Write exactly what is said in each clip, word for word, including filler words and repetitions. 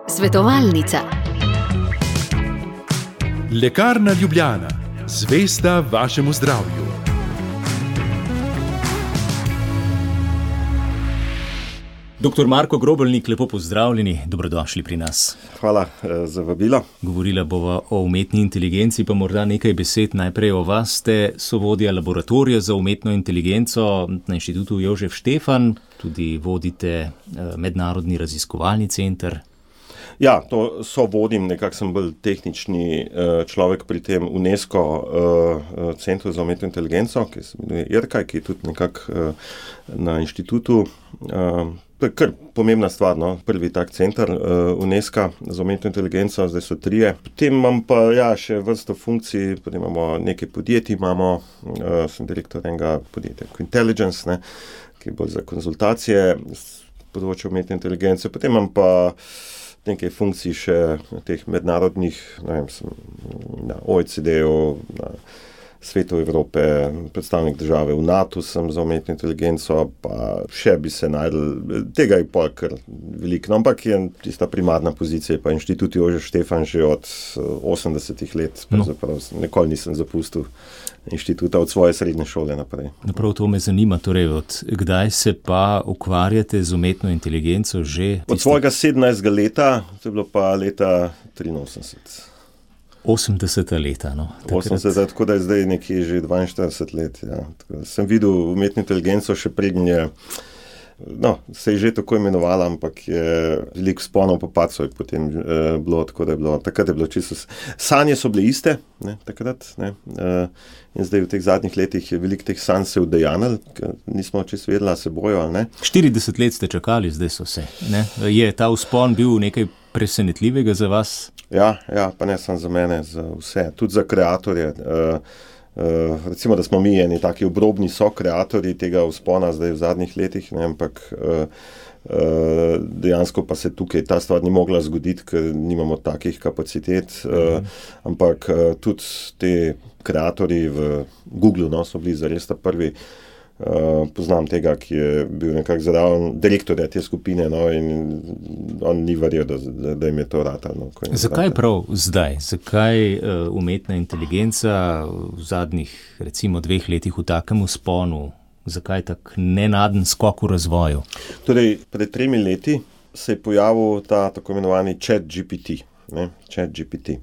Svetovalnica. Lekarna Ljubljana, zvesta vašemu zdravju. Doktor Marko Grobelnik, lepo pozdravljeni, dobrodošli pri nas. Hvala za vabilo. Govorila bova o umetni inteligenci, pa morda nekaj besed najprej o vas. Ste sovodja laboratorija za umetno inteligenco na Inštitutu Jožef Štefan, tudi vodite mednarodni raziskovalni center. Ja, to so vodim, nekako sem bolj tehnični človek pri tem UNESCO centru za umetno inteligenco, ki se imenuje I R K A, ki je tudi nekako na inštitutu. To je kar pomembna stvar, no? Prvi tak center UNESCO za umetno inteligenco, zdaj so trije. Potem imam pa ja, še vrsto funkcij, potem imamo nekaj podjetij, imamo, sem direktor enega podjetja Quintelligence, ne? Ki je bolj za konzultacije z področja umetne inteligence. Potem imam pa nekaj funkcij še teh mednarodnih, ne vem, sem na O E C D-u, na Svetu Evrope, predstavnik države v NATO sem za umetno inteligenco, pa še bi se najdel, tega je pa kar veliko, no, ampak je tista primarna pozicija, pa Inštitut Jožef Štefan že od osemdesetih let, pravzaprav nikoli nisem zapustil inštituta od svoje srednje šole naprej. Prav to me zanima, torej od kdaj se pa ukvarjate z umetno inteligenco že? Od svojega sedemnajstega leta, to je bilo pa leta triinosemdeset. osemdeseta leta, no. osemdeset, tako da je zdaj nekje že dvainštirideset let, ja. Sem videl umetno inteligenco še prednje, je, no, se je že tako imenovala, ampak je veliko vzponov pa padcev je potem eh, bilo, tako da je bilo, takrat je bilo čisto, sanje so bile iste, ne, takrat, ne, eh, in zdaj v teh zadnjih letih je veliko teh sanj se udejanjilo, ker nismo čisto vedela, se bojo, ali ne. štirideset let ste čakali, zdaj so se, ne. Je ta vzpon bil nekaj presenetljivega za vas? Ja, ja, pa ne samo za mene, za vse, tudi za kreatorje. Uh, uh, recimo, da smo mi eni taki obrobni so kreatorji tega vzpona zdaj v zadnjih letih, ne, ampak uh, uh, dejansko pa se tukaj ta stvar ni mogla zgoditi, ker nimamo takih kapacitet, uh, mhm. ampak uh, tudi te kreatorji v Googlu, no, so bili zares ta prvi. Uh, poznam tega, ki je bil nekako zraven direktorja te skupine, no, in on ni verjel, da, da, da jim je to ratalo. No, Zakaj prav zdaj? Zakaj uh, umetna inteligenca v zadnjih, recimo, dveh letih v takem vzponu? Zakaj tak nenaden skok v razvoju? Torej, pred tremi leti se je pojavil ta tako imenovani Chat G P T, ne, Chat G P T,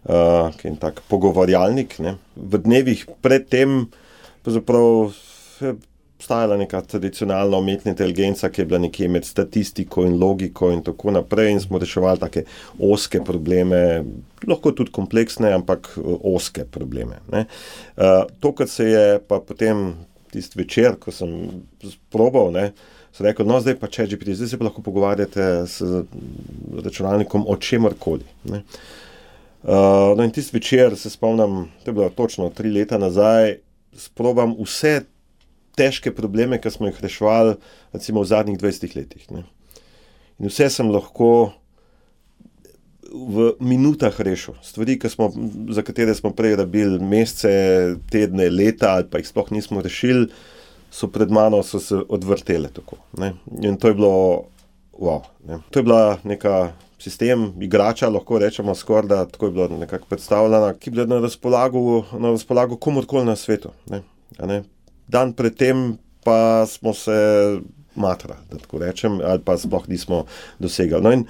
uh, ki je tak pogovarjalnik, ne. V dnevih pred tem pravzaprav je obstajala neka tradicionalna umetna inteligenca, ki je bila nekje med statistiko in logiko in tako naprej in smo reševali take oske probleme, lahko tudi kompleksne, ampak oske probleme, ne. Uh, to, kar se je pa potem tisti večer, ko sem probal, ne, sem rekel, no zdaj pa Chat G P T, zdaj se pa lahko pogovarjate s računalnikom o čemarkoli, ne. Uh, no in tisti večer se spomnim, to je bilo točno tri leta nazaj, sprobam vse težke probleme, ki smo jih reševali, recimo v zadnjih dvajsetih letih, ne. In vse sem lahko v minutah rešil. Stvari, ki smo, za katere smo prej rabili mesece, tedne, leta, ali pa jih sploh nismo rešili, so pred mano so se odvrtele tako, ne. In to je bilo, wow, ne. To je bila neka sistem, igrača, lahko rečemo skoraj, da tako je bilo nekako predstavljena, ki je bila na razpolago, na razpolago komorkoli na svetu, ne. A ne. Dan predtem pa smo se matrali, da tako rečem, ali pa sploh nismo dosegali. No in,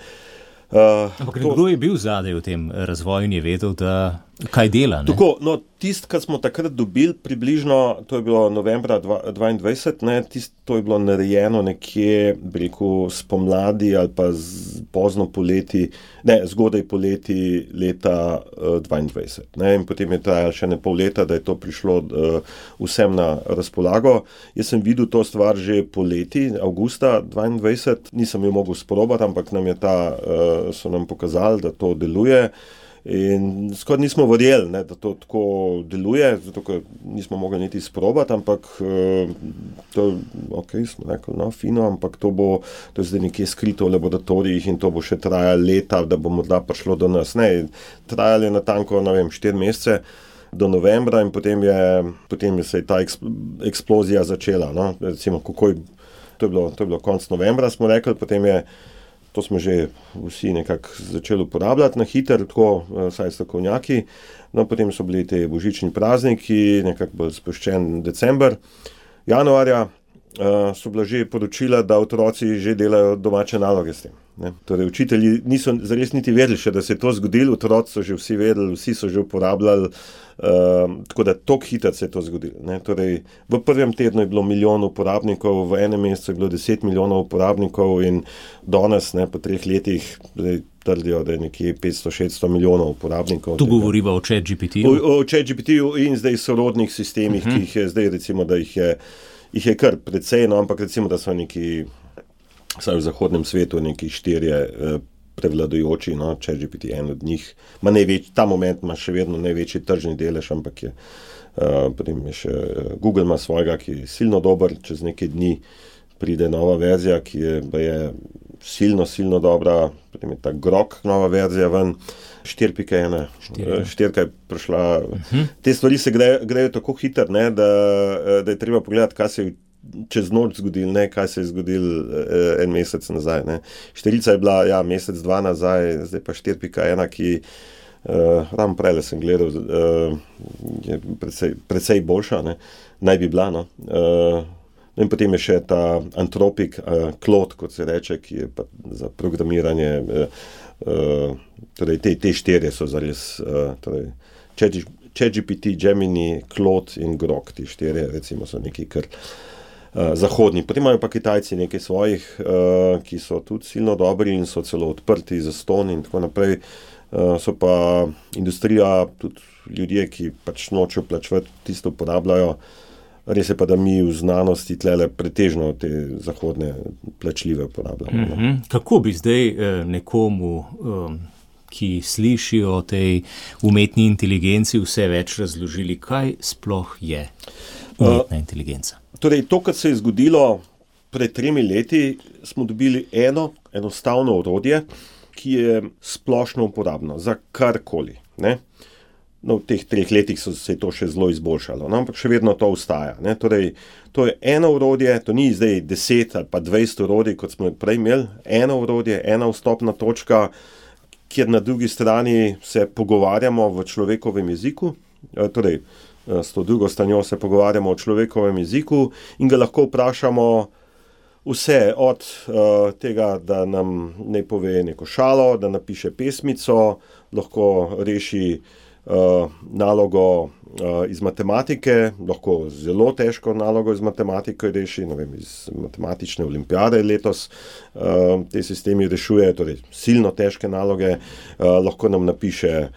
uh, Ampak to, kdo je bil zadaj v tem razvoju in je vedel, da kaj dela, ne? Tako, no, tisto, kar smo takrat dobili približno, to je bilo novembra dvaindvajset, ne, tisto, to je bilo narejeno nekje, bi rekel, spomladi ali pa z, pozno poleti, ne, zgodaj poleti leta uh, dvaindvajset, ne, in potem je trajalo še ne pol leta, da je to prišlo uh, vsem na razpolago. Jaz sem videl to stvar že poleti, avgusta dvaindvajset, nisem jo mogel sprobati, ampak nam je ta, uh, so nam pokazali, da to deluje. In skoraj nismo verjeli, ne, da to tako deluje, zato ker nismo mogli niti sprobati, ampak to, ok, smo rekli, no, fino, ampak to bo, to je zdaj nekje skrito v laboratorijih in to bo še trajalo leta, da bo morda prišlo do nas. Ne, trajalo je natanko, ne vem, štiri mesece do novembra in potem je, potem se je ta eksplozija začela, no, recimo, kako je, to je bilo, to je bilo konec novembra, smo rekli, potem je to smo že vsi nekako začeli uporabljati na hiter, tako saj strokovnjaki. No, potem so bili te božični prazniki, nekako bolj spuščen december. Januarja uh, so bila že poročila, da otroci že delajo domače naloge s tem. Ne? Torej, učitelji niso zares niti vedeli še, da se je to zgodilo, otroci so že vsi vedeli, vsi so že uporabljali, uh, tako da tok hitro se je to zgodilo. Ne? Torej, v prvem tednu je bilo milijon uporabnikov, v enem mesecu je bilo deset milijonov uporabnikov in danes, ne, po treh letih, zdaj trdijo, da je nekje petsto šeststo milijonov uporabnikov. Tu govoriva o ChatGPT-ju? O, o ChatGPT-ju in zdaj sorodnih sistemih, uh-huh. ki jih je zdaj, recimo, da jih je, jih je kar precej, no, ampak recimo, da so neki, vsaj v zahodnem svetu, neki štirje eh, prevladujoči, no, ChatGPT je en od njih, ma največ, ta moment ima še vedno največji tržni delež, ampak je, uh, potem je še Google ima svojega, ki je silno dober, čez nekaj dni pride nova verzija, ki je, je silno, silno dobra, potem je ta Grok nova verzija ven, štiri pika ena, štirka je prišla. Uh-huh. Te stvari se grejo, grejo tako hitro, ne, da, da je treba pogledati, kaj se je čez noč zgodil, ne, kaj se je zgodil eh, en mesec nazaj. Ne. Štirica je bila, ja, mesec, dva nazaj, zdaj pa štiri pika ena, ki Uh, ravno prele sem gledal, uh, je precej, precej boljša, ne? Naj bi bila. No? Uh, in potem je še ta Anthropic uh, Claude, kot se reče, ki je pa za programiranje. Uh, uh, torej te, te štirje so zares, uh, torej ChatGPT, Gemini, Claude in Grok, ti štirje recimo so neki kar uh, zahodni. Potem imajo pa Kitajci nekaj svojih, uh, ki so tudi silno dobri in so celo odprti za ston in tako naprej. Uh, so pa industrija, tudi ljudje, ki pač nočejo plačevati, tisto uporabljajo. Res je pa, da mi v znanosti tlele pretežno te zahodne plačljive uporabljamo. Mm-hmm. Kako bi zdaj eh, nekomu, um, ki sliši o tej umetni inteligenci, vse več razložili, kaj sploh je umetna uh, inteligenca? Torej, to, kar se je zgodilo pred tremi leti, smo dobili eno enostavno orodje, ki je splošno uporabno za karkoli. Ne? No, v teh treh letih so se to še zelo izboljšalo, no? Ampak še vedno to ostaja. Ne? Torej, to je eno orodje, to ni zdaj deset ali pa dvajset orodij, kot smo prej imeli, eno orodje, ena vstopna točka, kjer na drugi strani se pogovarjamo v človekovem jeziku, torej s to drugo stranjo se pogovarjamo o človekovem jeziku in ga lahko vprašamo vse od uh, tega, da nam ne pove neko šalo, da napiše pesmico, lahko reši uh, nalogo uh, iz matematike, lahko zelo težko nalogo iz matematike reši, ne vem, iz matematične olimpijade letos uh, te sistemi rešuje, torej silno težke naloge, uh, lahko nam napiše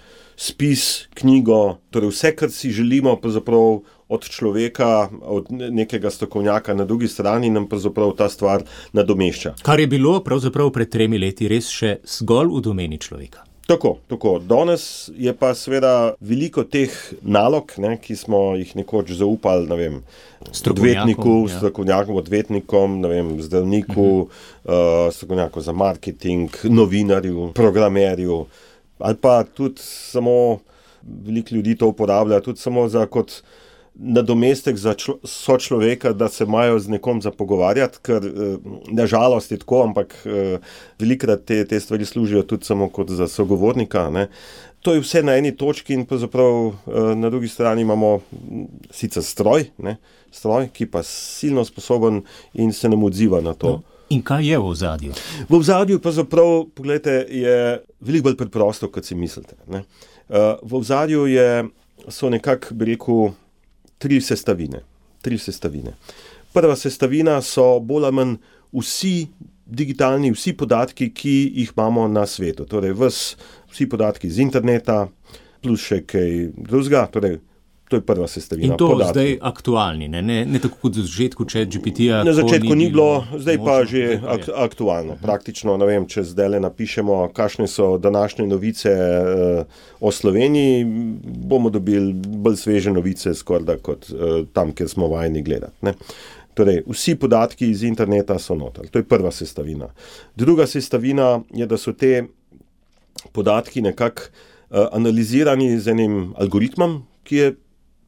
spis, knjigo, torej vse, kar si želimo, pravzaprav od človeka, od nekega strokovnjaka na drugi strani, nam pravzaprav ta stvar nadomešča. Kar je bilo pravzaprav pred tremi leti res še zgolj v domeni človeka. Tako, tako. Danes je pa seveda veliko teh nalog, ne, ki smo jih nekoč zaupali, ne vem, odvetniku, ja. strokovnjakom, odvetnikom, ne vem, zdravniku, uh-huh. uh, strokovnjaku za marketing, novinarju, programerju, ali pa tudi samo, veliko ljudi to uporablja, tudi samo za kot nadomestek za člo, sočloveka, da se imajo z nekom za pogovarjati, ker nažalost je tako, ampak velikrat te, te stvari služijo tudi samo kot za sogovornika. Ne. To je vse na eni točki in pravzaprav na drugi strani imamo sicer stroj, ne, stroj, ki pa silno sposoben in se nam odziva na to. No. In kaj je v ozadju? V ozadju pa zaprav, pogledajte, je veliko bolj preprosto, kot si mislite. Ne. V ozadju je, so nekako, bi rekel, tri sestavine. Tri sestavine. Prva sestavina so bolj ali manj vsi digitalni, vsi podatki, ki jih imamo na svetu. Torej, vs, vsi podatki iz interneta, plus še kaj drugega, torej, to je prva sestavina. In to podatki. Zdaj aktualni, ne, ne, ne tako kot v začetku ChatGPT-ja. Na začetku ni bilo, zdaj pa že ak- aktualno. Praktično, ne vem, če zdaj napišemo, kakšne so današnje novice uh, o Sloveniji, bomo dobili bolj sveže novice skorda kot uh, tam, kjer smo vajeni gledati. Ne. Torej, vsi podatki iz interneta so noter. To je prva sestavina. Druga sestavina je, da so te podatki nekako uh, analizirani z enim algoritmom, ki je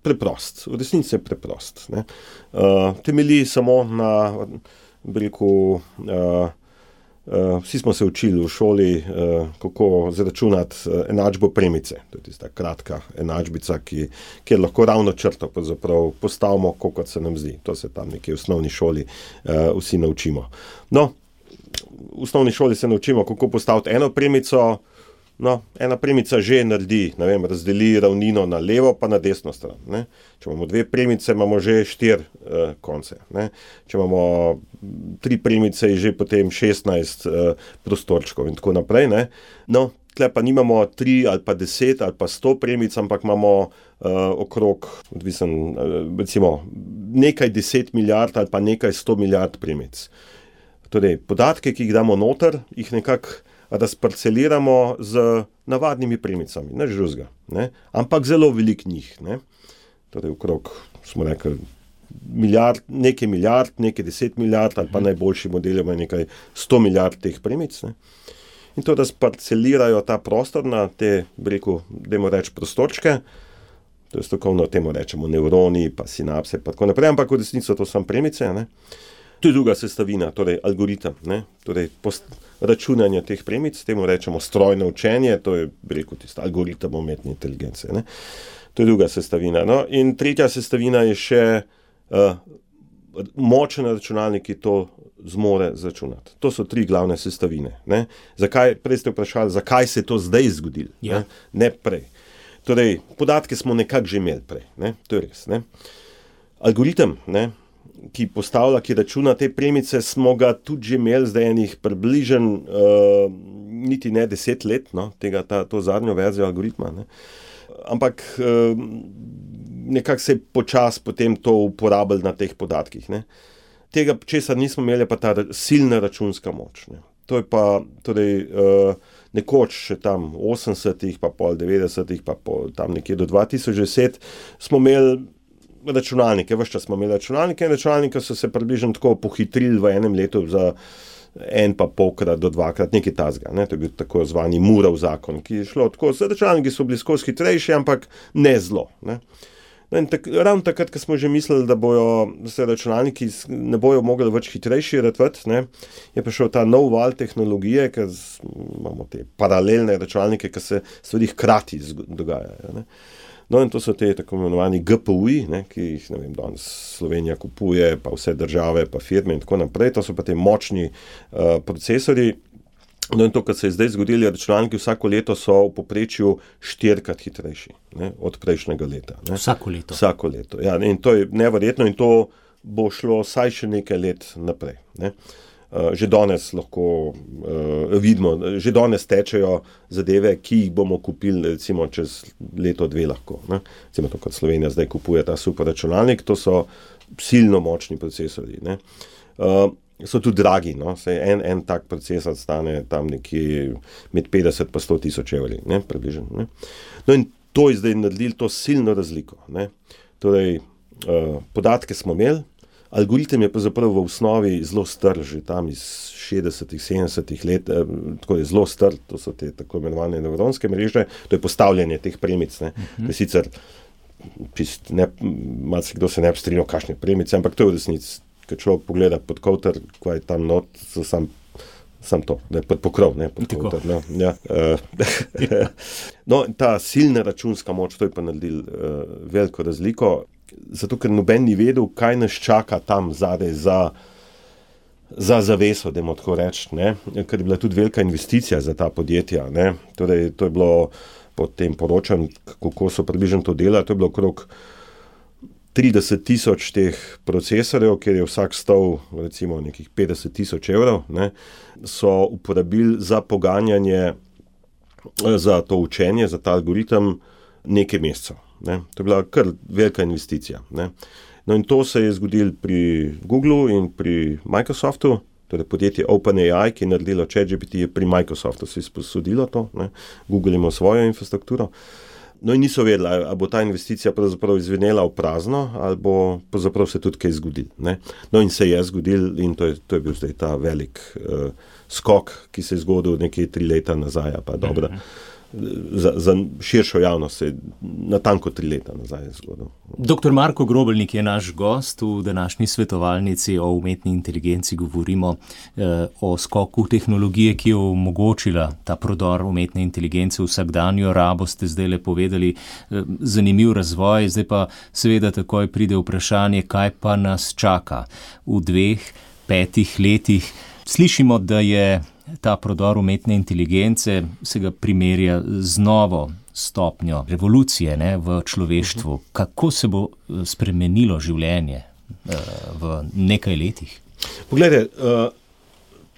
preprost, v resnici je preprost. Ne. Uh, temelji samo na, bi rekel, uh, Uh, vsi smo se učili v šoli, uh, kako zaračunati uh, enačbo premice. To je tista kratka enačbica, ki, kjer lahko ravno črto postavimo, kot se nam zdi. To se tam nekje v osnovni šoli uh, vsi naučimo. No, v osnovni šoli se naučimo, kako postaviti eno premico. No, ena premica že naredi, ne vem, razdeli ravnino na levo pa na desno stran. Ne. Če imamo dve premice, imamo že štiri uh, konce. Ne. Če imamo tri premice, je že potem šestnajst uh, prostorčkov in tako naprej. Ne. No, tle pa nimamo tri ali pa deset ali pa sto premic, ampak imamo uh, okrog, odvisen, uh, recimo, nekaj deset milijard ali pa nekaj sto milijard premic. Torej, podatke, ki jih damo noter, jih nekako razparceliramo z navadnimi premicami, ne žruzga, ne, ampak zelo velik njih, ne. Torej, okrog, smo rekli, milijard, nekaj milijard, nekaj deset milijard, ali pa najboljši model ima nekaj sto milijard teh premic, ne. In to razparcelirajo ta prostor na te, rekel, dajmo reči, prostorčke, to je strokovno, temu rečemo nevroni, pa sinapse, pa tako naprej, ampak v resnici to so premice, ne. To je druga sestavina, torej algoritem, ne, torej post, računanje teh premic, temu rečemo strojno učenje, to je, rekel, tisto algoritem umetne inteligence, ne. To je druga sestavina, no, in tretja sestavina je še uh, močen računalnik, ki to zmore zračunati. To so tri glavne sestavine, ne. Zakaj, prej ste vprašali, zakaj se je to zdaj zgodilo, ja. ne, ne prej. Torej, podatke smo nekako že imeli prej, ne, to je res, ne. Algoritem, ne, ki postavlja, ki računa te premice, smo ga tudi že imeli zdaj enih približen uh, niti ne deset let, no, tega, ta, to zadnjo verzijo algoritma, ne. Ampak uh, nekako se je počas potem to uporabljalo na teh podatkih, ne. Tega, česar nismo imeli, pa ta silna računska moč, ne. To je pa, torej, uh, nekoč še tam osemdesetih, pa pol devetdesetih, pa pol tam nekje do dva tisoč deset smo imeli računalnike, ves čas smo imeli računalnike in računalnike so se približno tako pohitrili v enem letu za en pa polkrat do dvakrat, nekaj tazga, ne, to je bil tako zvani Moorov zakon, ki je šlo tako, računalniki so bili skozi hitrejši, ampak ne zelo, ne. No in tak, ravno takrat, ko smo že mislili, da bojo da se računalniki ne bojo mogli več hitrejši ratvati, ne, je prišel ta nov val tehnologije, ker imamo te paralelne računalnike, ki se stvari hkrati dogajajo, ne. No in to so te tako imenovani G P U-ji, ne, ki jih, ne vem, danes Slovenija kupuje, pa vse države, pa firme in tako naprej, to so pa te močni uh, procesori. No in to, kar se je zdaj zgodilo, računalniki vsako leto so v povprečju štirikrat hitrejši, ne, od prejšnjega leta. Ne. Vsako leto? Vsako leto, ja, in to je neverjetno in to bo šlo vsaj še nekaj let naprej, ne. Uh, že danes lahko uh, vidimo, že danes tečejo zadeve, ki jih bomo kupili recimo čez leto, dve lahko. Ne? Recimo to, kot Slovenija zdaj kupuje ta super računalnik, to so silno močni procesori. Ne? Uh, so tudi dragi, no? Sej en, en tak procesor stane tam nekje med petdeset pa sto tisoč evri, ne? Približno. Ne? No in to je zdaj naredili to silno razliko. Ne? Torej, uh, podatke smo imeli, algoritem je pa zapravo v osnovi zelo star, že tam iz šestdesetih, sedemdesetih let, eh, tako je zelo star, to so te tako imenovane nevronske mreže, to je postavljanje teh premic, ne, uh-huh. To je sicer, čist, ne, marsikdo se ne bi strinjal, kakšne premice, ampak to je v resnici, kad človek pogleda pod kovter, kaj je tam not, so sam, sam to, ne, pod pokrov, ne, pod kovter, no, ja. No, ta silna računska moč, to je pa naredil uh, veliko razliko, zato ker noben ni vedel, kaj nas čaka tam zadaj za, za zaveso, dajmo tako reči, ne, ker je bila tudi velika investicija za ta podjetja, ne, torej to je bilo po tem poročanju, kako so približno to delali, to je bilo okrog trideset tisoč teh procesorjev, kjer je vsak stal recimo nekih petdeset tisoč evrov, ne, so uporabili za poganjanje, za to učenje, za ta algoritem nekaj mesecev. Ne. To je bila kar velika investicija. Ne. No in to se je zgodilo pri Googlu in pri Microsoftu, torej podjetje OpenAI, ki je naredilo ChatGPT, je pri Microsoftu se je sposodilo to, ne. Google ima svojo infrastrukturo. No in niso vedeli, ali bo ta investicija pravzaprav izvenela v prazno, ali bo pravzaprav se tudi kaj zgodilo. Ne. No in se je zgodilo in to je, to je bil zdaj ta velik uh, skok, ki se je zgodil nekaj tri leta nazaj, pa dobro. za, za širšo javnost se je natanko tri leta nazaj zgodil. Doktor Marko Grobelnik je naš gost v današnji svetovalnici o umetni inteligenci. Govorimo eh, o skoku tehnologije, ki je omogočila ta prodor umetne inteligence v vsakdanjo rabo, ste zdaj le povedali, eh, zanimiv razvoj. Zdaj pa seveda takoj pride vprašanje, kaj pa nas čaka v dveh, petih letih. Slišimo, da je ta prodor umetne inteligence, se ga primerja z novo stopnjo revolucije, ne, v človeštvu. Kako se bo spremenilo življenje uh, v nekaj letih? Poglejte, uh,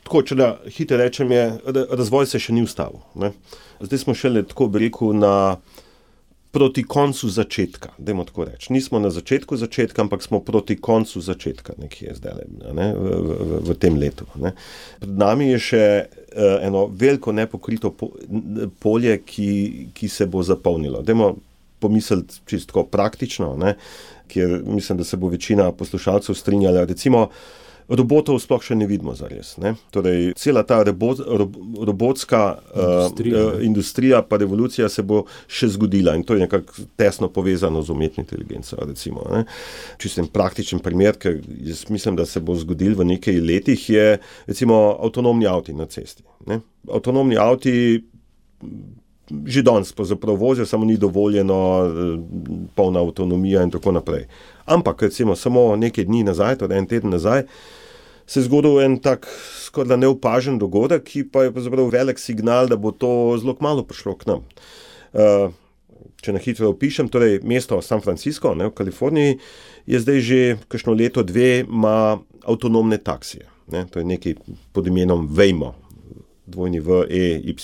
tako, če da hitro rečem, je, razvoj se še ni ustavil. Ne. Zdaj smo šele, tako bi rekel, na proti koncu začetka, dajmo tako reči. Nismo na začetku začetka, ampak smo proti koncu začetka nekje zdaj, ne, v, v, v tem letu. Ne. Pred nami je še uh, eno veliko nepokrito po, polje, ki, ki se bo zapolnilo. Dajmo pomisliti čisto praktično, ne, kjer mislim, da se bo večina poslušalcev strinjala. Recimo, robotov sploh še ne vidimo zares. Ne? Torej, cela ta robot, rob, robotska industrija, uh, industrija pa revolucija se bo še zgodila in to je nekako tesno povezano z umetno inteligenco. Recimo, ne? Čisto en praktičen primer, ker jaz mislim, da se bo zgodil v nekaj letih, je recimo avtonomni avti na cesti. Ne? Avtonomni avti že danes pravzaprav vozijo, samo ni dovoljeno polna avtonomija in tako naprej. Ampak recimo samo nekaj dni nazaj, torej en teden nazaj, se je zgodil en tak skoraj neopažen dogodek, ki pa je pravzaprav velik signal, da bo to zelo kmalu prišlo k nam. Uh, če na hitro opišem, torej mesto San Francisco, ne, v Kaliforniji, je zdaj že kakšno leto, dve ima avtonomne taksije. Ne, to je nekaj pod imenom Waymo. dvojni V, E, Y,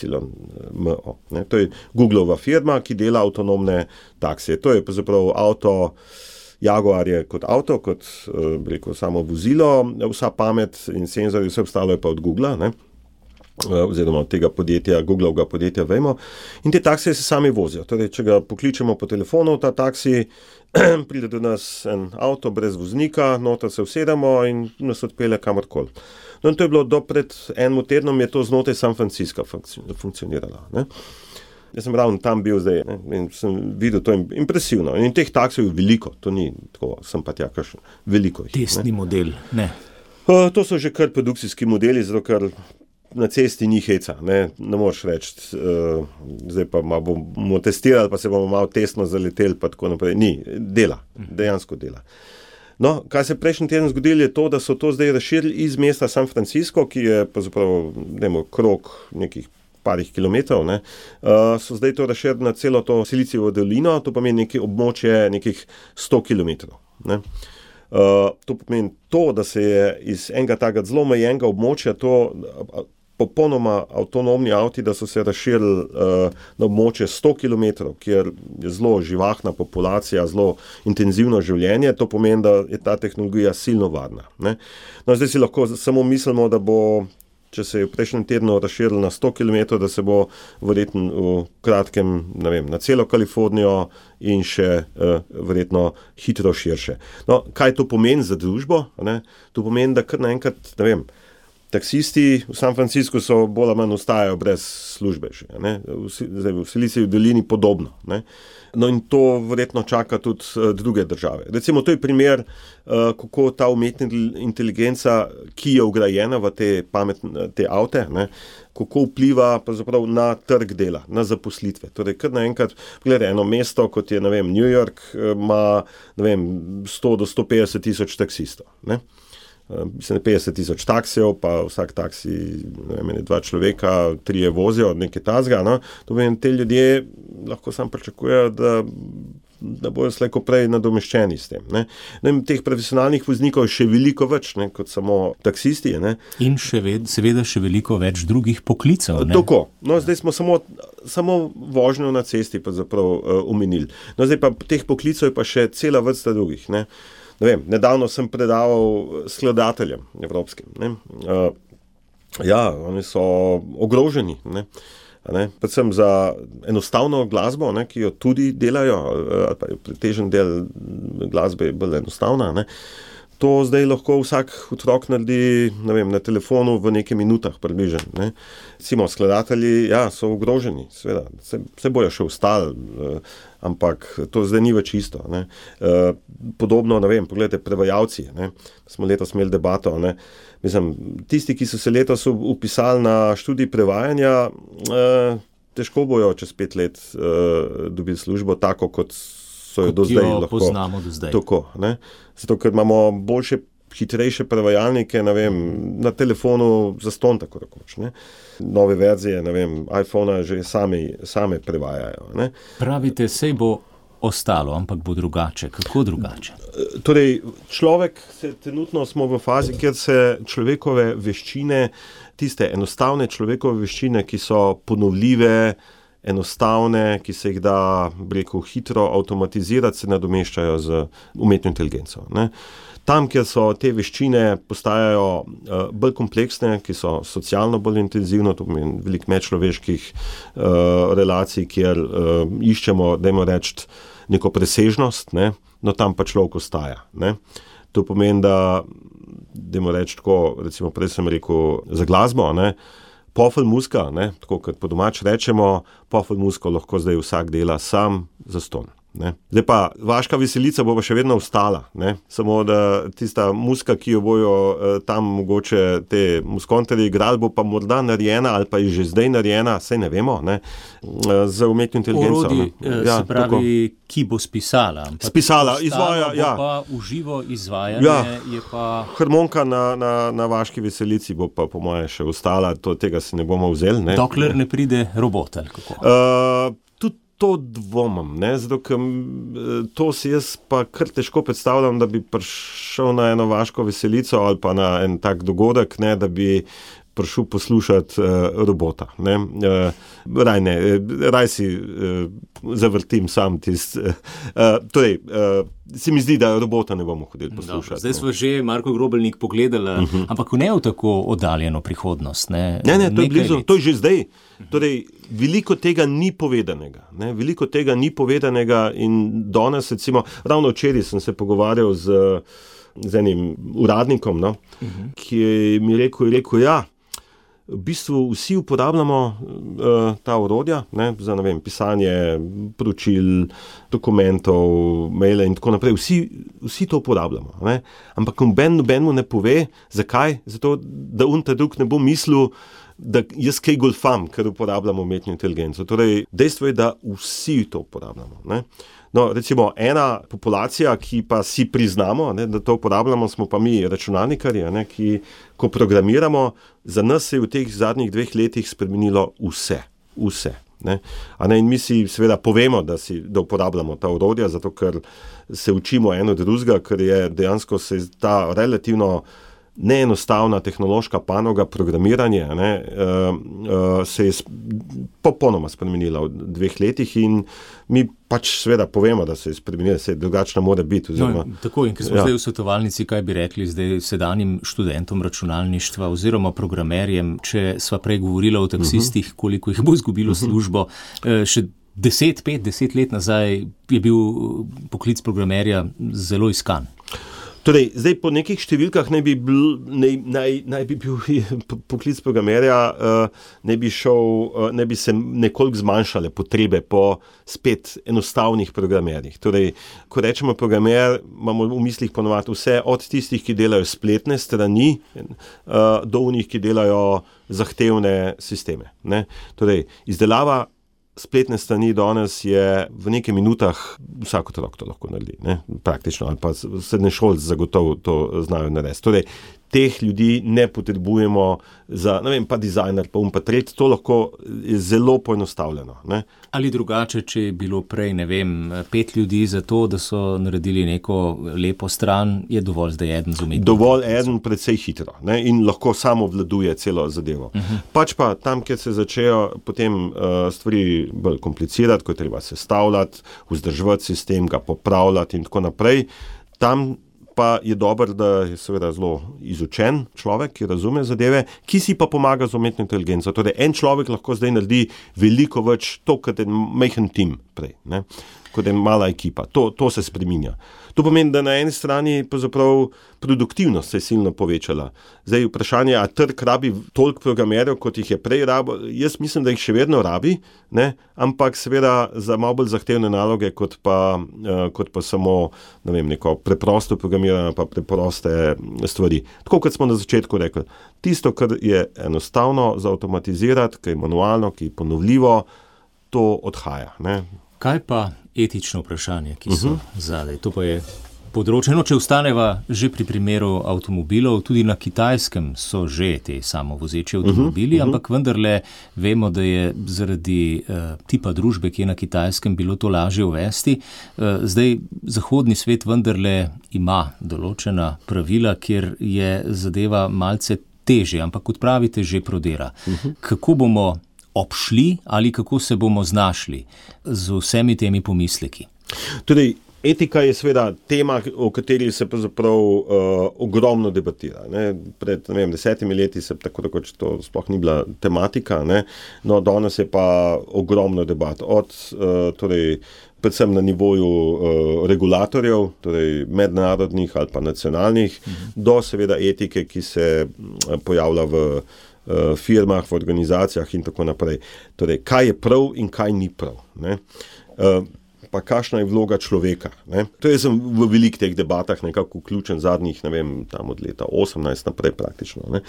M, O. Ne. To je Googleova firma, ki dela avtonomne taksije. To je pravzaprav avto, Jaguar je kot avto, kot bi rekel, samo vozilo, vsa pamet in senzori, vse ostalo je pa od Googlea, ne. Oziroma od tega podjetja, Googleovega podjetja Waymo. In te taksije se sami vozijo. Torej, če ga pokličemo po telefonu, ta taksi, pride do nas en avto brez voznika, noter se usedemo in nas odpelje kamorkoli. No, in to je bilo do pred enim tednom, je to znotraj San Francisca funkcioniralo. Ne? Jaz sem ravno tam bil zdaj, ne? In sem videl to impresivno. In teh taksijev je veliko, to ni tako, sem pa tja kakšen, veliko jih. Testni model, ne. Uh, to so že kar produkcijski modeli, zato ker na cesti ni heca, ne, ne moreš reči, uh, zdaj pa bomo testirali, pa se bomo malo testno zaleteli, pa tako naprej. Ni, dela, dejansko dela. No, kaj se prejšnji teden zgodilo, je to, da so to zdaj razširili iz mesta San Francisco, ki je pa zapravo, dajmo, krog nekih parih kilometrov, ne, uh, so zdaj to razširili na celo to Silicijevo dolino, to pomeni nekaj območje nekih sto kilometrov, ne. Uh, to pomeni to, da se je iz enega takega zelo omejenega območja to popolnoma avtonomni avti, da so se razširili uh, na območje sto kilometrov, kjer je zelo živahna populacija, zelo intenzivno življenje, to pomeni, da je ta tehnologija silno varna. Ne? No, zdaj si lahko samo mislimo, da bo, če se je v prejšnjem tednu razširilo na sto kilometrov, da se bo verjetno v kratkem, ne vem, na celo Kalifornijo in še uh, verjetno hitro širše. No, kaj to pomeni za družbo? Ne? To pomeni, da kar naenkrat, ne vem, taksisti v San Franciscu so bolj ali manj ostajajo brez službe še, ne? Zdaj v Silicijevi dolini podobno, ne? No in to verjetno čaka tudi uh, druge države. Recimo, to je primer, uh, kako ta umetna inteligenca, ki je vgrajena v te pametne te avte, ne? Kako vpliva pravzaprav na trg dela, na zaposlitve. Torej, kar naenkrat, gledaj, eno mesto, kot je, ne vem, New York, ima, ne vem, sto do sto petdeset tisoč taksistov, ne? Mislim, petdeset tisoč taksijev, pa vsak taksi, ne vem, dva človeka, trije vozijo, nekaj tazga, no, to vem, te ljudje lahko sam pričakujejo, da, da bojo slejko prej nadomeščeni s tem, ne. Ne, teh profesionalnih voznikov je še veliko več, ne, kot samo taksisti, ne. In še ved, seveda še veliko več drugih poklicev, ne. Tako, no, zdaj smo samo, samo vožnjo na cesti pa zaprav uh, omenili. No, zdaj pa teh poklicev je pa še cela vrsta drugih, ne. Ne vem, nedavno sem predaval skladateljem evropskim. Ne? Uh, ja, oni so ogroženi, ne? Ne? Predvsem za enostavno glasbo, ne? Ki jo tudi delajo, ali pa pretežen del glasbe je bolj enostavna, ne? To zdaj lahko vsak otrok naredi, ne vem, na telefonu v nekaj minutah približno, ne. Recimo, skladatelji, ja, so ogroženi, seveda, se, se bojo še ostali, eh, ampak to zdaj ni več isto, ne. Eh, podobno, ne vem, pogledajte, prevajalci, ne. Smo letos imeli debato, ne. Mislim, tisti, ki so se letos upisali na študij prevajanja, eh, težko bojo čez pet let eh, dobili službo tako, kot so jo do zdaj lahko. Poznamo do zdaj. Tako, ne. Zato, ker imamo boljše, hitrejše prevajalnike, ne vem, na telefonu zastonj tako rekoč, ne. Nove verzije, ne vem, iPhona že sami, same prevajajo, ne. Pravite, sej bo ostalo, ampak bo drugače. Kako drugače? Torej, človek, se, trenutno smo v fazi, kjer se človekove veščine, tiste enostavne človekove veščine, ki so ponovljive, enostavne, ki se jih da, bi rekel, hitro avtomatizirati, se nadomeščajo z umetno inteligenco, ne. Tam, kjer so te veščine postajajo uh, bolj kompleksne, ki so socialno bolj intenzivno, to pomeni veliko medčloveških uh, relacij, kjer uh, iščemo, dajmo reči, neko presežnost, ne, no tam pa človek ostaja, ne. To pomeni, da, dajmo reči tako, recimo prej sem rekel za glasbo, ne, pofel muska, ne, tako kot po domač rečemo, pofel musko lahko zdaj vsak dela sam zastonj. Ne. Zdaj pa, vaška veselica bo pa še vedno ostala, ne. Samo da tista muska, ki jo bojo eh, tam mogoče te muskonterji igrali, bo pa morda narejena ali pa je že zdaj narejena, saj ne vemo, ne, z umetno inteligenco. Orodi, ja, se pravi, tako. Ki bo spisala. Spisala, izvaja, ja. Bo pa uživo izvajanje, ja. Je pa... Harmonika na, na, na vaški veselici bo pa po moje še ostala, to, tega si ne bomo vzeli, ne. Dokler ne pride robot, ali kako? Uh, To dvomam, ne, zato ker to si jaz pa kar težko predstavljam, da bi prišel na eno vaško veselico ali pa na en tak dogodek, ne, da bi prišel poslušati uh, robota, ne. Uh, raj ne, raj si uh, zavrtim sam tist. Uh, torej, uh, se mi zdi, da robota ne bomo hodili poslušati. Dobro, zdaj smo že Marko Grobelnik pogledali, uh-huh. ampak ne v tako oddaljeno prihodnost, ne? Ne, ne, to je blizu, to je že zdaj. Torej, veliko tega ni povedanega, ne, veliko tega ni povedanega in danes, recimo, ravno včeraj sem se pogovarjal z, z enim uradnikom, no, uh-huh. ki mi je rekel, je rekel, ja, v bistvu vsi uporabljamo uh, ta orodja, ne, za, ne vem, pisanje poročil, dokumentov, maile in tako naprej. Vsi, vsi to uporabljamo, ne, ampak noben nobenmu ne pove, zakaj, zato, da un ta drug ne bo mislil, da jaz kaj golfam, ker uporabljamo umetno inteligenco. Torej, dejstvo je, da vsi to uporabljamo, ne. No, recimo, ena populacija, ki pa si priznamo, ne, da to uporabljamo, smo pa mi računalnikarji, ne, ki, ko programiramo, za nas se je v teh zadnjih dveh letih spremenilo vse, vse, ne. A ne, in mi si seveda povemo, da, si, da uporabljamo ta orodja, zato ker se učimo eno drugega, ker je dejansko se ta relativno neenostavna tehnološka panoga programiranje, ne, uh, uh, se je popolnoma spremenila v dveh letih in mi pač seveda povemo, da se je spremenila, se je drugačna mora biti. Oziroma, no, tako, in ker smo ja. zdaj v svetovalnici, kaj bi rekli zdaj sedanjim študentom računalništva oziroma programerjem, če sva prej govorila o taksistih, uh-huh. koliko jih bo izgubilo uh-huh. službo, uh, še deset, pet, deset let nazaj je bil poklic programerja zelo iskan. Torej, zdaj po nekih številkah naj bi bil, naj, naj, naj bi bil poklic programerja, uh, ne bi šel, uh, ne bi se nekoliko zmanjšale potrebe po spet enostavnih programerjih. Torej, ko rečemo programer, imamo v mislih ponovati vse od tistih, ki delajo spletne strani, uh, do unih, ki delajo zahtevne sisteme, ne. Torej, izdelava spletne strani danes je v nekaj minutah, vsak otrok to lahko naredi, ne, praktično, ali pa srednješolci zagotovo to znajo narediti. Torej, teh ljudi ne potrebujemo za, ne vem, pa dizajner, pa um pa tret, to lahko je zelo poenostavljeno, ne. Ali drugače, če je bilo prej, ne vem, pet ljudi za to, da so naredili neko lepo stran, je dovolj zdaj eden z umetnim. Dovolj eden precej hitro, ne, in lahko samo vladuje celo zadevo. Uh-huh. Pač pa tam, kjer se začejo potem uh, stvari bolj komplicirati, ko je treba sestavljati, vzdrževati sistem, ga popravljati in tako naprej, tam pa je dobro, da je seveda zelo izučen človek, ki razume zadeve, ki si pa pomaga z umetno inteligenco. Torej, en človek lahko zdaj naredi veliko več to, kot je majhen tim prej, ne. kot je mala ekipa. To, to se spreminja. To pomeni, da na eni strani produktivnost se je silno povečala. Zdaj vprašanje, a trg rabi toliko programerjev, kot jih je prej rabo. Jaz mislim, da jih še vedno rabi, ne? Ampak seveda za malo bolj zahtevne naloge, kot pa, uh, kot pa samo ne vem, neko preprosto programiranje, pa preproste stvari. Tako kot smo na začetku rekli, tisto, kar je enostavno zautomatizirati, ki je manualno, ki je ponovljivo, to odhaja. Ne? Kaj pa etično vprašanje, ki so uh-huh. zadaj? To pa je področje. No, če ostaneva že pri primeru avtomobilov, tudi na Kitajskem so že te samovozeči avtomobili, uh-huh. ampak vendarle vemo, da je zaradi uh, tipa družbe, ki je na Kitajskem, bilo to lažje uvesti. Uh, zdaj, zahodni svet vendarle ima določena pravila, kjer je zadeva malce težje, ampak kot pravite, že prodera. Uh-huh. Kako bomo obšli ali kako se bomo znašli z vsemi temi pomisleki? Torej, etika je seveda tema, o kateri se pravzaprav uh, ogromno debatira. Ne? Pred ne vem, desetimi leti se tako rekoč to sploh ni bila tematika, ne? No, danes je pa ogromno debat. Od uh, torej, predvsem na nivoju uh, regulatorjev, torej mednarodnih ali pa nacionalnih, mhm. do seveda etike, ki se pojavlja v firmah, v organizacijah in tako naprej. Torej, kaj je prav in kaj ni prav. Ne? Uh, pa kakšna je vloga človeka. Ne? To je sem v velikih teh debatah nekako vključen zadnjih, ne vem, tam od leta osemnajst naprej praktično. Ne?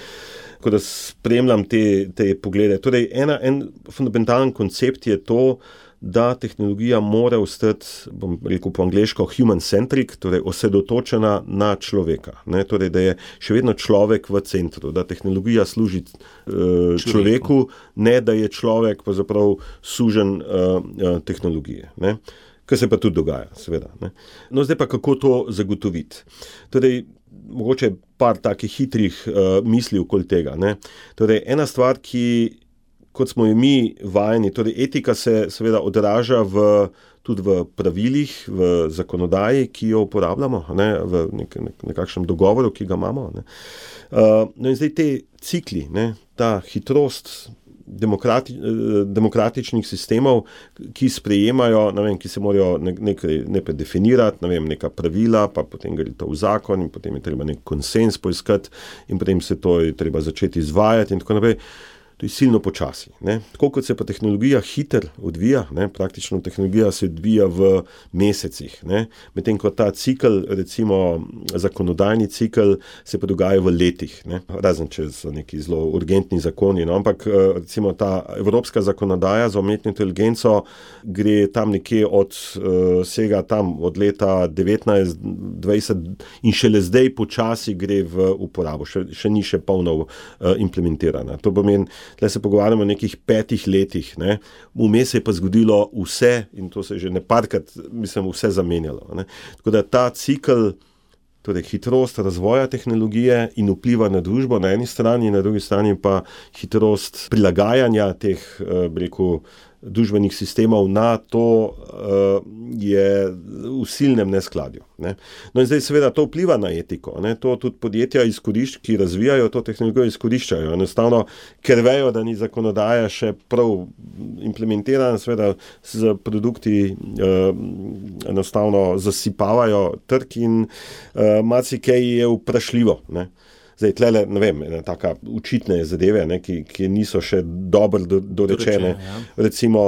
Ko da spremljam te, te poglede. Torej, ena, en fundamentalen koncept je to, da tehnologija mora ostati, bom rekel po angleško, human-centric, torej osredotočena na človeka. Ne? Torej, da je še vedno človek v centru, da tehnologija služi uh, človeku, ne da je človek pravzaprav sužen uh, uh, tehnologije. Ne? Kar se pa tudi dogaja, seveda. Ne? No, zdaj pa kako to zagotoviti? Torej, mogoče par takih hitrih uh, misli okoli tega. Ne? Torej, ena stvar, ki kot smo jo mi vajeni, torej etika se seveda odraža v, tudi v pravilih, v zakonodaji, ki jo uporabljamo, ne, v nek, nek, nekakšnem dogovoru, ki ga imamo. Ne. Uh, no in zdaj te cikli, ne, ta hitrost demokrati, demokratičnih sistemov, ki sprejemajo, ne vem, ki se morajo nekaj ne definirati, ne vem, neka pravila, pa potem gre to v zakon in potem je treba nek konsens poiskati in potem se to je treba začeti izvajati in tako naprej. To je silno počasi. Ne? Tako kot se pa tehnologija hiter odvija, ne? Praktično tehnologija se odvija v mesecih. Ne? Medtem ko ta cikl, recimo zakonodajni cikl, se pa dogaja v letih. Ne? Razen, če so neki zelo urgentni zakoni. No? Ampak recimo ta evropska zakonodaja za umetno inteligenco gre tam nekje od vsega tam od leta devetnajst dvajset in šele zdaj počasi gre v uporabo. Še, še ni še polno uh, implementirana. To pomeni, tle se pogovarjamo o nekih petih letih, ne. Vmes se je pa zgodilo vse in to se je že neparkrat, mislim, vse zamenjalo. Ne. Tako da ta cikl, torej hitrost razvoja tehnologije in vpliva na družbo na eni strani, na drugi strani pa hitrost prilagajanja teh, bi rekel, družbenih sistemov na to uh, je v silnem neskladju. Ne. No in zdaj seveda to vpliva na etiko. Ne. To tudi podjetja, izkorišč, ki razvijajo to tehnologijo, izkoriščajo. Enostavno, ker vejo, da ni zakonodaja še prav implementirana, seveda z produkti uh, enostavno zasipavajo trg in uh, marsikaj je vprašljivo. Ne. Zdaj, tlele, ne vem, ena taka učitne zadeve, ne, ki, ki niso še dobro do, dorečene. Dorečene, ja. Recimo,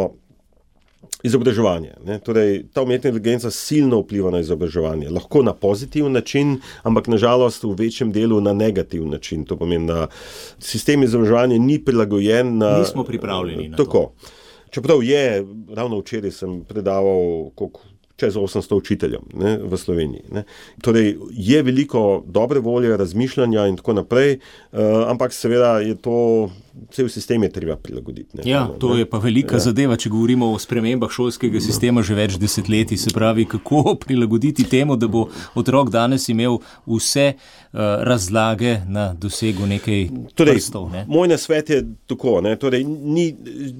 izobraževanje. Ne. Torej, ta umetna inteligenca silno vpliva na izobraževanje. Lahko na pozitiven način, ampak nažalost v večjem delu na negativen način. To pomeni, da sistem izobraževanja ni prilagojen na... Nismo pripravljeni na tako. To. Čeprav je, ravno včeraj sem predaval koliko čez osemsto učiteljem, ne, v Sloveniji. Ne. Torej, je veliko dobre volje, razmišljanja in tako naprej, uh, ampak seveda je to, cel sistem je treba prilagoditi. Ne. Ja, to je pa velika ja. zadeva, če govorimo o spremembah šolskega sistema že več desetletij, se pravi, kako prilagoditi temu, da bo otrok danes imel vse uh, razlage na dosegu nekaj torej, prstov. Ne. Moj nasvet je tako, ne, torej, ni,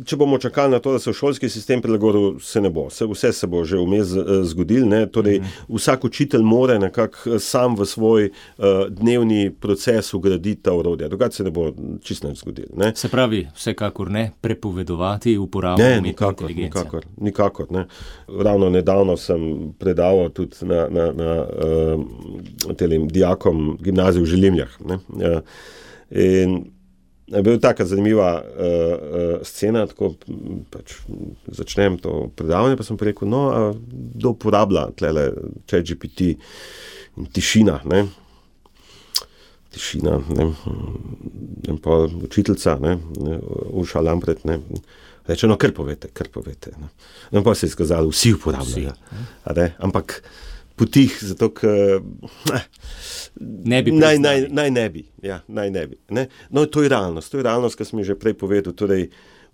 če bomo čakali na to, da se v šolski sistem prilagodil, se ne bo. Se, vse se bo že vmes zgodilo. Ne? Torej, mm. vsak učitelj mora nekako sam v svoj uh, dnevni proces ugraditi ta orodja. Drugače se ne bo čisto nič zgodilo. Ne? Se pravi, vsekakor ne prepovedovati uporabo umetne inteligence. Nikakor, nikakor. Ne? Ravno nedavno sem predaval tudi na, na, na uh, telim dijakom gimnazije v Želimljah. Ne? Uh, in je bila taka zanimiva uh, uh, scena, tako pač začnem to predavanje, pa sem pa rekel, no, a kdo uporablja tlele ChatGPT in tišina, ne? Tišina, ne? In pa učiteljica, ne? Uša Lampret, ne? Reče, no, kar povete, kar povete. Ne? In pa se je skazalo, vsi uporabljajo. Vsi, ampak potih, zato, ker ne bi naj, naj, naj ne bi. Ja, naj ne bi. Ne? No, to je realnost. To je realnost, kar sem že prej povedal. Torej,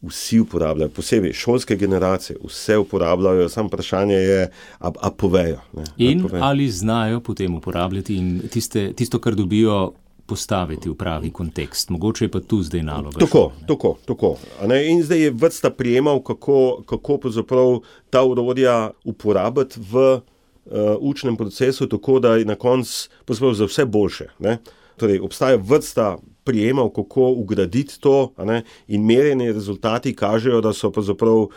vsi uporabljajo, posebej šolske generacije, vse uporabljajo, samo vprašanje je, a, a povejo. Ne? In a povejo. Ali znajo potem uporabljati in tiste, tisto, kar dobijo, postaviti v pravi kontekst. Mogoče je pa tu zdaj naloga. Tako, tako, tako. A ne? In zdaj je vrsta prijemal, kako, kako pravzaprav ta orodja uporabiti v Uh, učnem procesu, tako da je na koncu posebej za vse boljše. Ne? Torej, obstaja vrsta prijemov, kako ugraditi to, a ne? In merjeni rezultati kažejo, da so pravzaprav uh,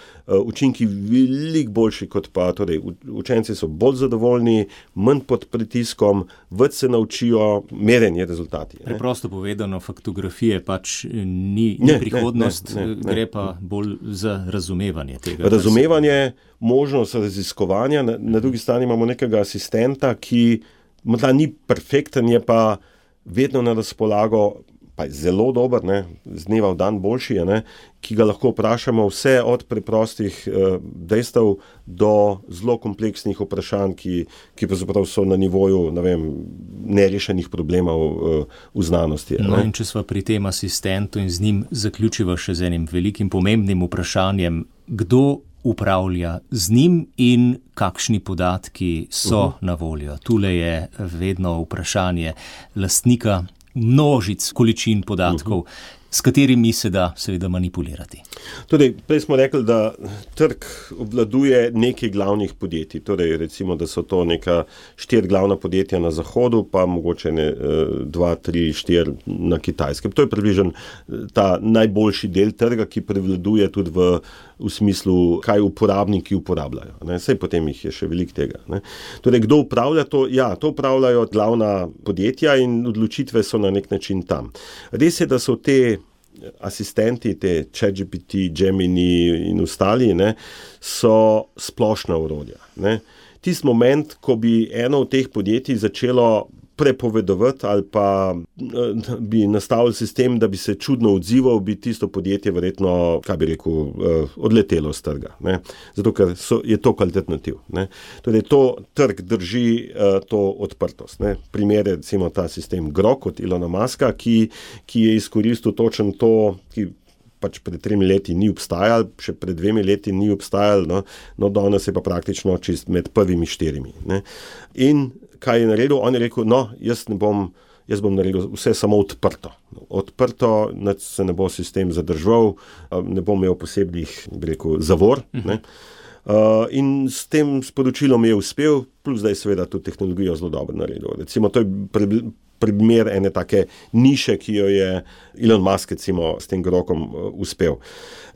učinki veliko boljši kot pa, torej, učenci so bolj zadovoljni, manj pod pritiskom, več se naučijo, merjeni rezultati. Ne? Preprosto povedano, faktografije pač ni, ni ne, prihodnost, ne, ne, ne, gre pa bolj za razumevanje tega. Razumevanje, možnost raziskovanja, na, na drugi strani imamo nekega asistenta, ki morda ni perfekten, je pa vedno na razpolago, pa je zelo dober, ne, z dneva v dan boljši, ne, ki ga lahko vprašamo vse od preprostih eh, dejstev do zelo kompleksnih vprašanj, ki, ki pravzaprav so na nivoju, ne vem, nerešenih problemov eh, v znanosti. No, in če sva pri tem asistentu in z njim zaključiva še z enim velikim pomembnim vprašanjem, kdo upravlja z njim in kakšni podatki so uh-huh. na voljo. Tule je vedno vprašanje lastnika množic količin podatkov, uh-huh. s katerimi se da seveda manipulirati. Torej, prej smo rekli, da trg obvladuje nekaj glavnih podjetij. Torej, recimo, da so to neka štiri glavna podjetja na Zahodu, pa mogoče ne, dva, tri, štiri na Kitajskem. To je približno ta najboljši del trga, ki prevladuje tudi v, v smislu, kaj uporabniki uporabljajo. Ne? Saj potem jih je še veliko tega. Ne? Torej, kdo upravlja to? Ja, to upravljajo glavna podjetja in odločitve so na nek način tam. Res je, da so te asistenti, te ChatGPT, Gemini in ostali, ne, so splošna orodja. Ne. Tisti moment, ko bi eno od teh podjetij začelo prepovedovati ali pa bi nastavili sistem, da bi se čudno odzival, bi tisto podjetje verjetno, kaj bi rekel, odletelo z trga. Ne? Zato, ker so, je to alternativ. Ne? Torej, to trg drži to odprtost. Ne? Primer je, recimo, ta sistem Grok od Elona Muska, ki, ki je izkoristil točno to, ki pač pred tremi leti ni obstajal, še pred dvemi leti ni obstajal, no, no danes je pa praktično čist med prvimi štirimi. Ne? In kaj je naredil? On je rekel, no, jaz ne bom, jaz bom naredil vse samo odprto. Odprto, se ne bo sistem zadržal, ne bom imel posebnih, bi rekel, zavor. Ne? Uh, in s tem sporočilom je uspel, plus da je seveda tudi tehnologijo zelo dobro naredil. Recimo, to je pre, primer ene take niše, ki jo je Elon Musk, recimo, s tem Grokom uh, uspel.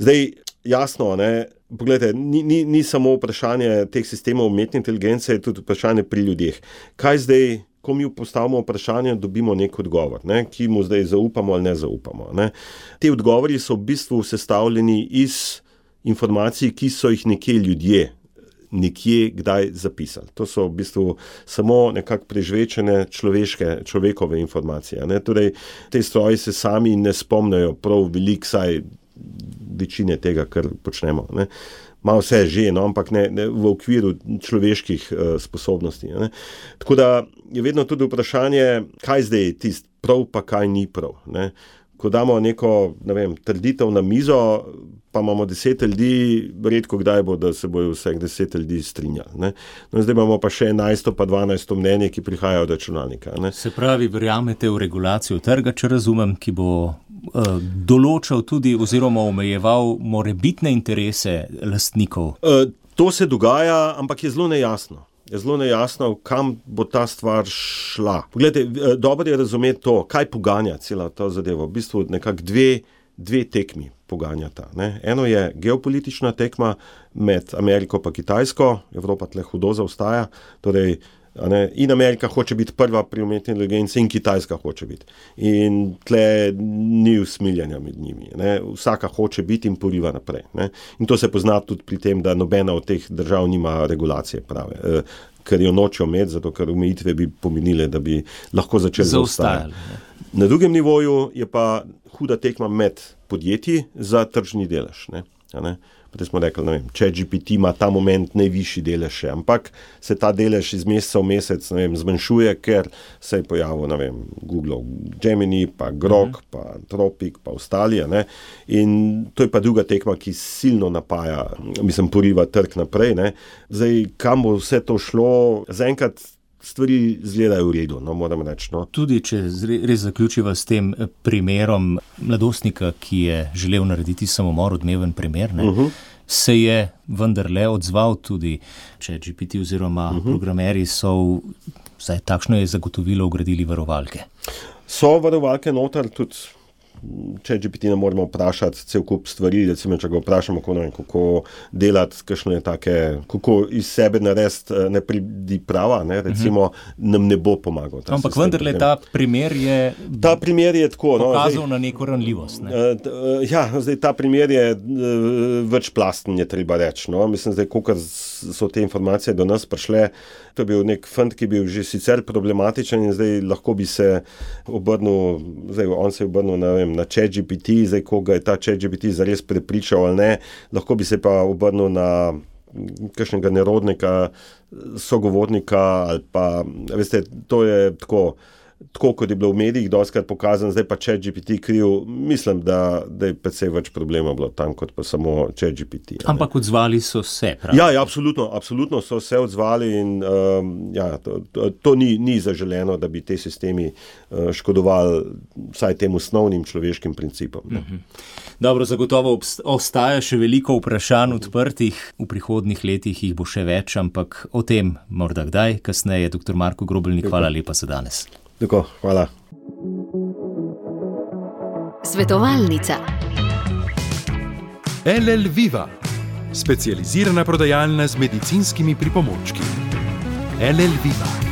Zdaj, jasno, ne, pogledajte, ni, ni, ni samo vprašanje teh sistemov umetne inteligence, je tudi vprašanje pri ljudeh. Kaj zdaj, ko mi postavimo vprašanje, dobimo nek odgovor, ne, ki mu zdaj zaupamo ali ne zaupamo. Ne. Te odgovori so v bistvu sestavljeni iz informacij, ki so jih nekje ljudje nekje kdaj zapisali. To so v bistvu samo nekako prežvečene človeške, človekove informacije. Ne. Torej, te stroji se sami ne spomnijo prav veliko, saj večine tega, kar počnemo. Ne. Malo vse že, no, ampak ne, ne v okviru človeških uh, sposobnosti. Ne. Tako da je vedno tudi vprašanje, kaj zdaj je tist prav, pa kaj ni prav. Ne. Ko damo neko, ne vem, trditev na mizo, pa imamo deset ljudi, redko kdaj bo, da se bojo vseh deset ljudi strinjali. Ne. No, zdaj imamo pa še enajsto pa dvanajsto mnenje, ki prihajajo od računalnika. Ne. Se pravi, verjamete v regulacijo trga, če razumem, ki bo uh, določal tudi oziroma omejeval morebitne interese lastnikov? Uh, To se dogaja, ampak je zelo nejasno. Je zelo nejasno, kam bo ta stvar šla. Poglejte, dobro je razumeti to, kaj poganja cela ta zadeva. V bistvu nekako dve, dve tekmi poganjata. Ne? Eno je geopolitična tekma med Ameriko pa Kitajsko, Evropa tle hudo zaostaja, torej ne, in Amerika hoče biti prva pri umetni inteligenci in Kitajska hoče biti. In tle ni usmiljanja med njimi. Ne. Vsaka hoče biti in poriva naprej. Ne. In to se pozna tudi pri tem, da nobena od teh držav nima regulacije prave, eh, ker jo nočejo imeti, zato ker omejitve bi pomenile, da bi lahko začeli zaostajati. Na drugem nivoju je pa huda tekma med podjetji za tržni delež. Ne. Ne. Potem smo rekli, ne vem, ChatGPT ima ta moment najvišji delež še, ampak se ta delež iz meseca v mesec, ne vem, zmanjšuje, ker se je pojavil, ne vem, Google Gemini, pa Grok, uh-huh. pa Anthropic, pa ostali, ne. In to je pa druga tekma, ki silno napaja, mislim, poriva trg naprej, ne. Zdaj, kam bo vse to šlo, zaenkrat stvari izgledajo v redu, no, moram reči. No. Tudi, če res zaključiva s tem primerom mladostnika, ki je želel narediti samomor, odmeven primer, ne, uh-huh. se je vendarle odzval tudi, če G P T oziroma uh-huh. programeri so, vsaj takšno je zagotovilo, vgradili varovalke. So varovalke noter, tudi če G P T ne moramo vprašati cel kup stvari, recimo, če ga vprašamo, kako, ne vem, kako delati, kakšne take, kako iz sebe narediti ne pridi prava, ne, recimo, uh-huh. nam ne bo pomagal. Ampak vendarle ta primer je, ta primer je tako, pokazal no, zdaj, na neko ranljivost. Ne? Uh, ja, zdaj ta primer je uh, večplasten, je treba reči. No. Mislim, zdaj, kolikor so te informacije do nas prišle, to je bil nek fant, ki je bil že sicer problematičen in zdaj lahko bi se obrnil, zdaj on se je obrnil na, vem, na ChatGPT, zdaj koga je ta ChatGPT zares prepričal ali ne, lahko bi se pa obrnil na kakšnega nerodnika, sogovornika ali pa, veste, to je tako, tako kot je bilo v medijih dostikrat pokazano, zdaj pa ChatGPT kriv, mislim, da, da je precej več problema bilo tam, kot pa samo ChatGPT. Ampak odzvali so se, pravi? Ja, ja, absolutno, absolutno so se odzvali in um, ja, to, to, to ni, ni zaželeno, da bi te sistemi uh, škodovali vsaj tem osnovnim človeškim principom. Mhm. Dobro, zagotovo ostaja še veliko vprašanj odprtih, v prihodnjih letih jih bo še več, ampak o tem morda kdaj, kasneje. Doktor Marko Grobelnik, hvala lepa za danes. Tako, hvala. Svetovalnica. L L Viva, specializirana prodajalna z medicinskimi pripomočki. L L Viva.